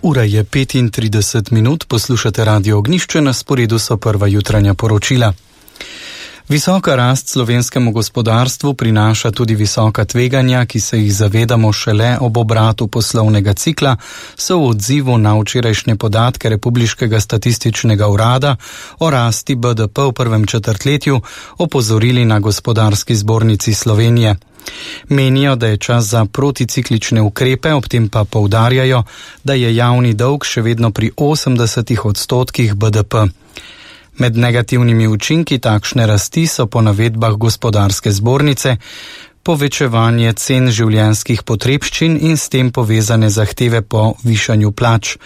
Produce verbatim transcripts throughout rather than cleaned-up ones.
Ura je petintrideset minut, poslušate Radio Ognjišče, na sporedu so prva jutranja poročila. Visoka rast slovenskemu gospodarstvu prinaša tudi visoka tveganja, ki se jih zavedamo šele ob obratu poslovnega cikla, so v odzivu na včerajšnje podatke Republiškega statističnega urada o rasti B D P v prvem četrtletju opozorili na Gospodarski zbornici Slovenije. Menijo, da je čas za proticiklične ukrepe, ob tem pa poudarjajo, da je javni dolg še vedno pri osemdesetih odstotkih B D P. Med negativnimi učinki takšne rasti so po navedbah Gospodarske zbornice povečevanje cen življenjskih potrebščin in s tem povezane zahteve po višanju plač.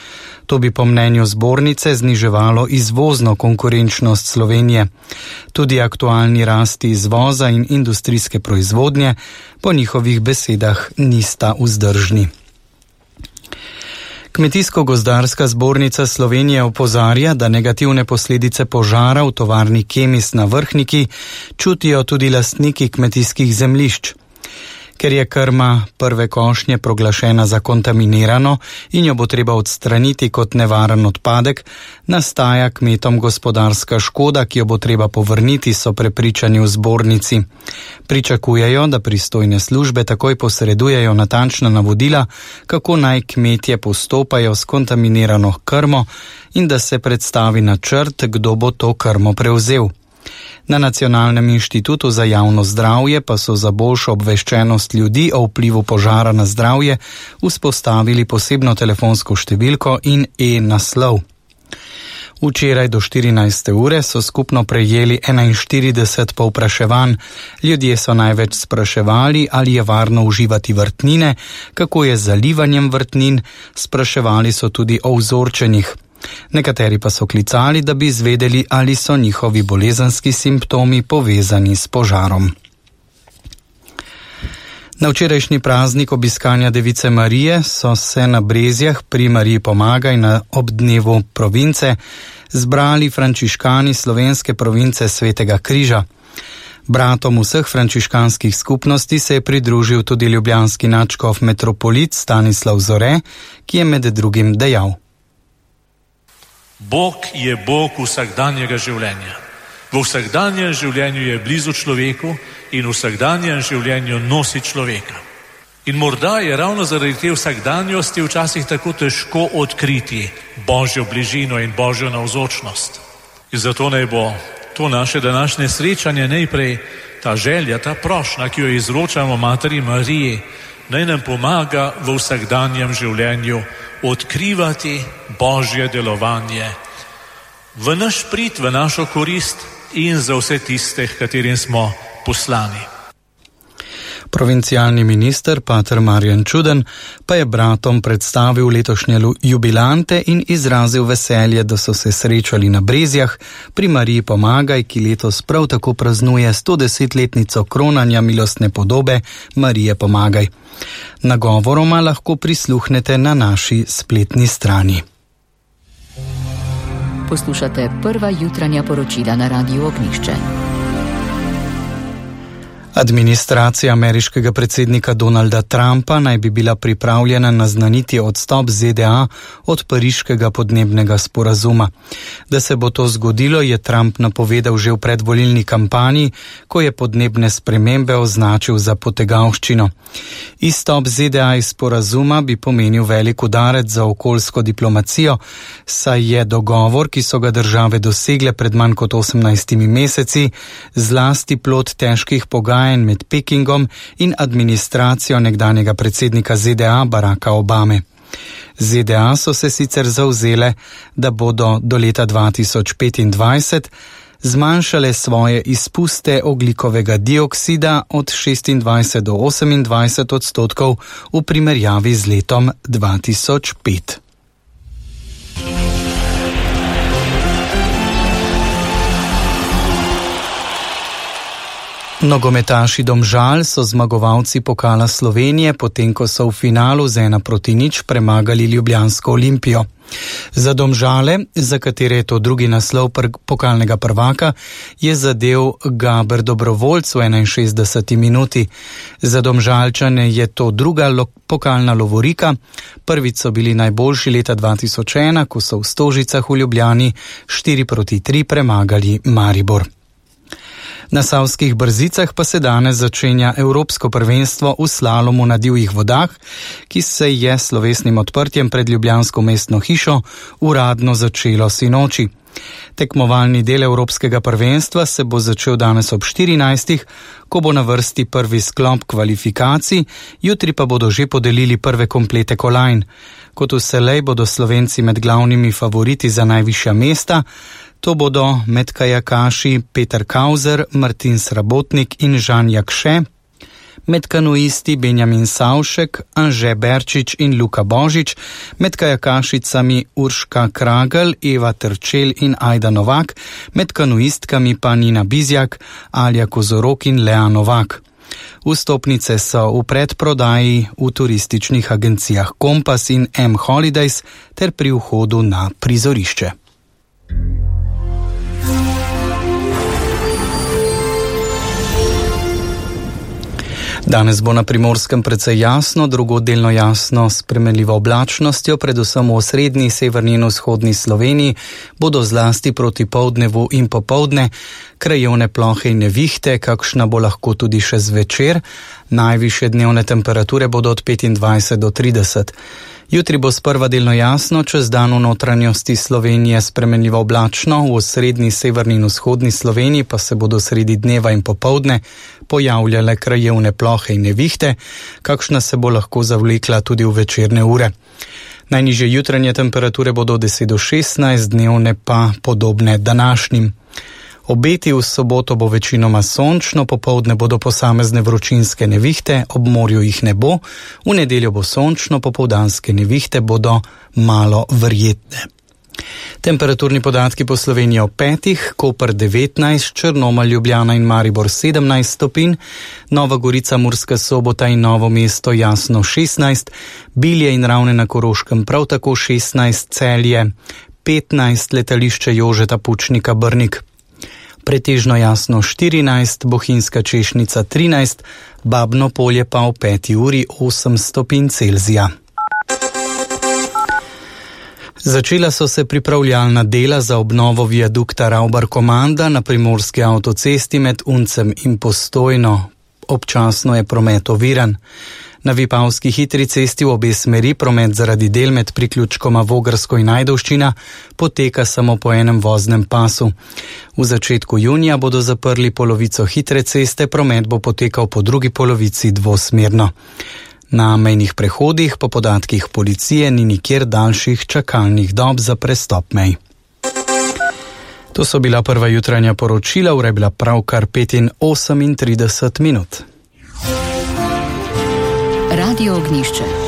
To bi po mnenju zbornice zniževalo izvozno konkurenčnost Slovenije. Tudi aktualni rasti izvoza in industrijske proizvodnje po njihovih besedah nista vzdržni. Kmetijsko-gozdarska zbornica Slovenije opozarja, da negativne posledice požara v tovarni Kemis na Vrhniki čutijo tudi lastniki kmetijskih zemljišč. Ker je krma prve košnje proglašena za kontaminirano in jo bo treba odstraniti kot nevaren odpadek, nastaja kmetom gospodarska škoda, ki jo bo treba povrniti, so prepričani v zbornici. Pričakujejo, da pristojne službe takoj posredujejo natančna navodila, kako naj kmetje postopajo s kontaminirano krmo in da se predstavi načrt, kdo bo to krmo prevzel. Na Nacionalnem inštitutu za javno zdravje pa so za boljšo obveščenost ljudi o vplivu požara na zdravje vzpostavili posebno telefonsko številko in e-naslov. Včeraj do štirinajste ure so skupno prejeli enainštirideset povpraševanj. Ljudje so največ spraševali, ali je varno uživati vrtnine, kako je z zalivanjem vrtnin, spraševali so tudi o vzorčenjih. Nekateri pa so klicali, da bi izvedeli, ali so njihovi bolezenski simptomi povezani s požarom. Na včerajšnji praznik obiskanja Device Marije so se na Brezjah pri Mariji Pomagaj na ob dnevu province zbrali frančiškani slovenske province Svetega Križa. Bratom vseh frančiškanskih skupnosti se je pridružil tudi ljubljanski nadškof metropolit Stanislav Zore, ki je med drugim dejal: Bog je Bog vsakdanjega življenja. V vsakdanjem življenju je blizu človeku in v vsakdanjem življenju nosi človeka. In morda je ravno zaradi te vsakdanjosti včasih tako težko odkriti Božjo bližino in Božjo navzočnost. In zato naj bo to naše današnje srečanje najprej ta želja, ta prošnja, ki jo izročamo Materi Mariji, naj nam pomaga v vsakdanjem življenju odkrivati Božje delovanje v naš prid, v našo korist in za vse tiste, katerim smo poslani. Provincialni minister pater Marjan Čuden pa je bratom predstavil letošnje jubilante in izrazil veselje, da so se srečali na Brezjah pri Mariji Pomagaj, ki letos prav tako praznuje stodesetletnico kronanja milostne podobe Marije Pomagaj. Nagovoroma lahko prisluhnete na naši spletni strani. Poslušate prva jutranja poročila na Radiu Ognjišče. Administracija ameriškega predsednika Donalda Trumpa naj bi bila pripravljena naznaniti odstop Z D A od pariškega podnebnega sporazuma. Da se bo to zgodilo, je Trump napovedal že v predvolilni kampanji, ko je podnebne spremembe označil za potegavščino. Izstop Z D A iz sporazuma bi pomenil velik udarec za okoljsko diplomacijo, saj je dogovor, ki so ga države dosegle pred manj kot osemnajstimi meseci, zlasti plod težkih pogajanj med Pekingom in administracijo nekdanjega predsednika Z D A Baracka Obame. Z D A so se sicer zavzele, da bodo do leta dva tisoč petindvajset zmanjšale svoje izpuste ogljikovega dioksida od šestindvajset do osemindvajset odstotkov v primerjavi z letom dva tisoč pet. Nogometaši Domžal so zmagovalci pokala Slovenije, potem ko so v finalu z ena proti nič premagali ljubljansko Olimpijo. Za Domžale, za katere je to drugi naslov pokalnega prvaka, je zadel Gaber Dobrovoljc v enainšestdeseti minuti. Za Domžalčane je to druga lo- pokalna lovorika. Prvič so bili najboljši leta dva tisoč ena, ko so v Stožicah v Ljubljani štiri proti tri premagali Maribor. Na Savskih Brzicah pa se danes začenja Evropsko prvenstvo v slalomu na divjih vodah, ki se je s slovesnim odprtjem pred ljubljansko mestno hišo uradno začelo sinoči. Tekmovalni del Evropskega prvenstva se bo začel danes ob štirinajstih, ko bo na vrsti prvi sklop kvalifikacij, jutri pa bodo že podelili prve komplete kolajn. Kot vselej bodo Slovenci med glavnimi favoriti za najvišja mesta. To bodo med kajakaši Peter Kauzer, Martin Srabotnik in Žan Jakše, med kanuisti Benjamin Savšek, Anže Berčič in Luka Božič, med kajakašicami Urška Kragel, Eva Trčel in Ajda Novak, med kanuistkami pa Nina Bizjak, Alja Kozorok in Lea Novak. Vstopnice so v predprodaji v turističnih agencijah Kompas in M Holidays ter pri vhodu na prizorišče. Danes bo na Primorskem precej jasno, drugod delno jasno s spremenljivo oblačnostjo, predvsem v osrednji, severni in vzhodni Sloveniji bodo zlasti proti poldnevu in popoldne krajevne plohe in nevihte, kakšna bo lahko tudi še zvečer. Najvišje dnevne temperature bodo od petindvajset do trideset. Jutri bo sprva delno jasno, čez dan v notranjosti Slovenije spremenljivo oblačno, v osrednji, severni in vzhodni Sloveniji pa se bodo sredi dneva in popoldne pojavljale krajevne plohe in nevihte, kakšna se bo lahko zavlekla tudi v večerne ure. Najnižje jutranje temperature bodo od deset do šestnajst, dnevne pa podobne današnjim. Obeti v soboto bo večinoma sončno, popoldne bodo posamezne vročinske nevihte, ob morju jih ne bo, v nedeljo bo sončno, popoldanske nevihte bodo malo verjetne. Temperaturni podatki po Sloveniji ob petih, Koper devetnajst, Črnomelj, Ljubljana in Maribor sedemnajst stopinj, Nova Gorica, Murska Sobota in Novo mesto jasno šestnajst, Bilje in Ravne na Koroškem prav tako šestnajst, Celje petnajst, Letališče Jožeta Pučnika Brnik pretežno jasno štirinajst, Bohinjska Češnica trinajst, Babno Polje pa v peti uri osem stopinj Celzija. Začela so se pripravljalna dela za obnovo viadukta Ravbar-Komanda na primorski avtocesti med Uncem in Postojno. Občasno je promet oviran. Na Vipavski hitri cesti v obe smeri promet zaradi del med priključkoma Vogrsko in Ajdovščina poteka samo po enem voznem pasu. V začetku junija bodo zaprli polovico hitre ceste, promet bo potekal po drugi polovici dvosmerno. Na mejnih prehodih po podatkih policije ni nikjer daljših čakalnih dob za prestop mej. To so bila prva jutranja poročila, ura je bila pravkar petinosemintrideset minut. Radio Ognjišče.